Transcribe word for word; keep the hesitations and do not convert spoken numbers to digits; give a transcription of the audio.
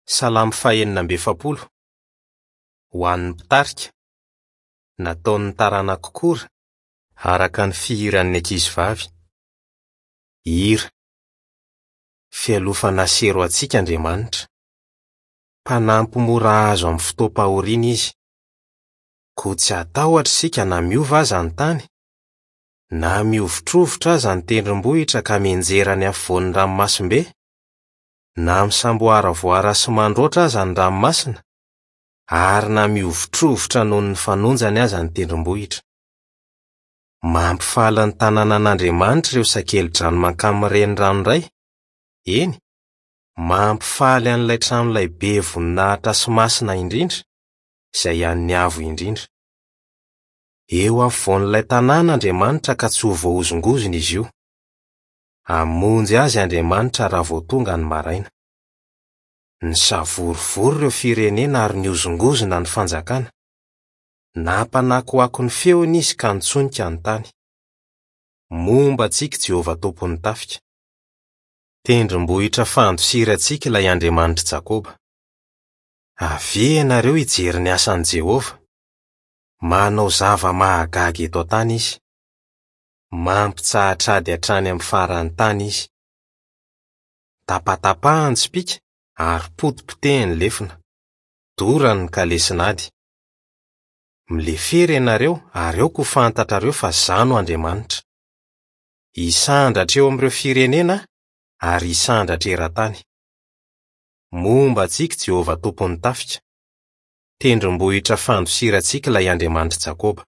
Salamo fahenina amby efapolo. Ho an'ny mpitarika. Nataon'ny taranak'i Kora, araka ny fihiran'ny ankizivavy. Hira. Fialofana sy hery ho antsika Andriamanitra. Mpanampy mora azo amin'ny fotoam-pahoriana Izy. Koa tsy hatahotra isika na miova aza ny tany, na mihovitrovitra aza ny tendrombohitra ka mianjera ny afovoan'ny ranomasimbe, na misamboaravoara sy mandroatra aza ny ranomasina, ary na mihovitrovitra noho ny fanonjany aza ny tendrombohitra. Mampifaly ny tanànan'Andriamanitra ireo sakeli-drano mankamin'ny renirano iray, eny, mampifaly an'ilay tranolay be voninahitra sy masina indrindra, izay an'ny Avo Indrindra. Eo afovoan'ilay tanàna Andriamanitra ka tsy ho voahozongozona izy io. Hamonjy azy Andriamanitra raha vao tonga ny maraina. Nisavorovoro ireo firenena ary nihozongozona ny fanjakana. Nampanakoako ny feony izy ka nitsonika ny tany. Momba antsika Jehovah Tompon'ny tafika. Tendrombohitra fandosirantsika ilay Andriamanitr'i Jakoba. Avia ianareo hijery ny asan'i Jehovah. Manao zava-mahagaga eto an-tany izy. Mampitsahatra ady hatrany amin'ny faran'ny tany izy. Tapatapahany tsipìka ary potipotehiny lefona. Dorany ny kalesin'ady. Milefera ianareo ary aoka ho fantatrareo fa Izaho no Andriamanitra. Hisandratra eo amin'ireo firenena aho ary hisandratra eran-tany. Momba antsika Jehovah Tompon'ny tafika. Tendrombohitra fandosirantsika ilay Andriamanitr'i Jakoba.